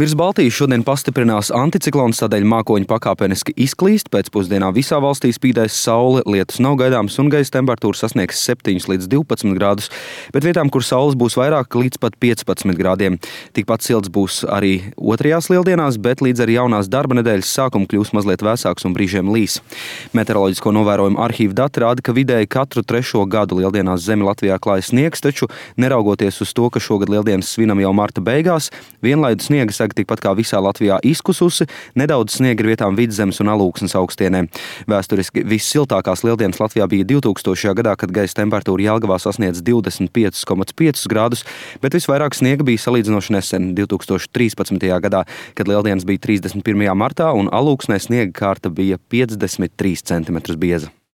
Virs Baltijas šodien pastiprinās anticiklons, tādēļ mākoņi pakāpeniski izklīst. Pēcpusdienā visā valstī spīdēs saule, lietus nav gaidāms un gaisa temperatūra sasniegs 7 līdz 12 grādus, bet vietām, kur saules būs vairāk, līdz pat 15 grādiem. Tikpat silts būs arī otrajās lieldienās, bet līdz ar jaunās darba nedēļas sākumu kļūs mazliet vēsāks un brīžiem līs. Meteoroloģisko novērojumu arhīva dati rāda, ka vidēji katru 3. gadu lieldienās zemi Latvijā klājas sniegs, taču neraugoties uz to, ka šogad lieldienas svinam jau marta beigās, vienlaidu sniega sega tikpat kā visā Latvijā izkususi, nedaudz sniega ir vietām Vidzemes un Alūksnes augstienē. Vēsturiski vissiltākās lieldienas Latvijā bija 2000. gadā, kad gaisa temperatūra Jelgavā sasniedz 25,5 grādus, bet visvairāk sniega bija salīdzinoši nesen 2013. gadā, kad lieldienas bija 31. martā un Alūksnē sniega kārta bija 53 cm bieza.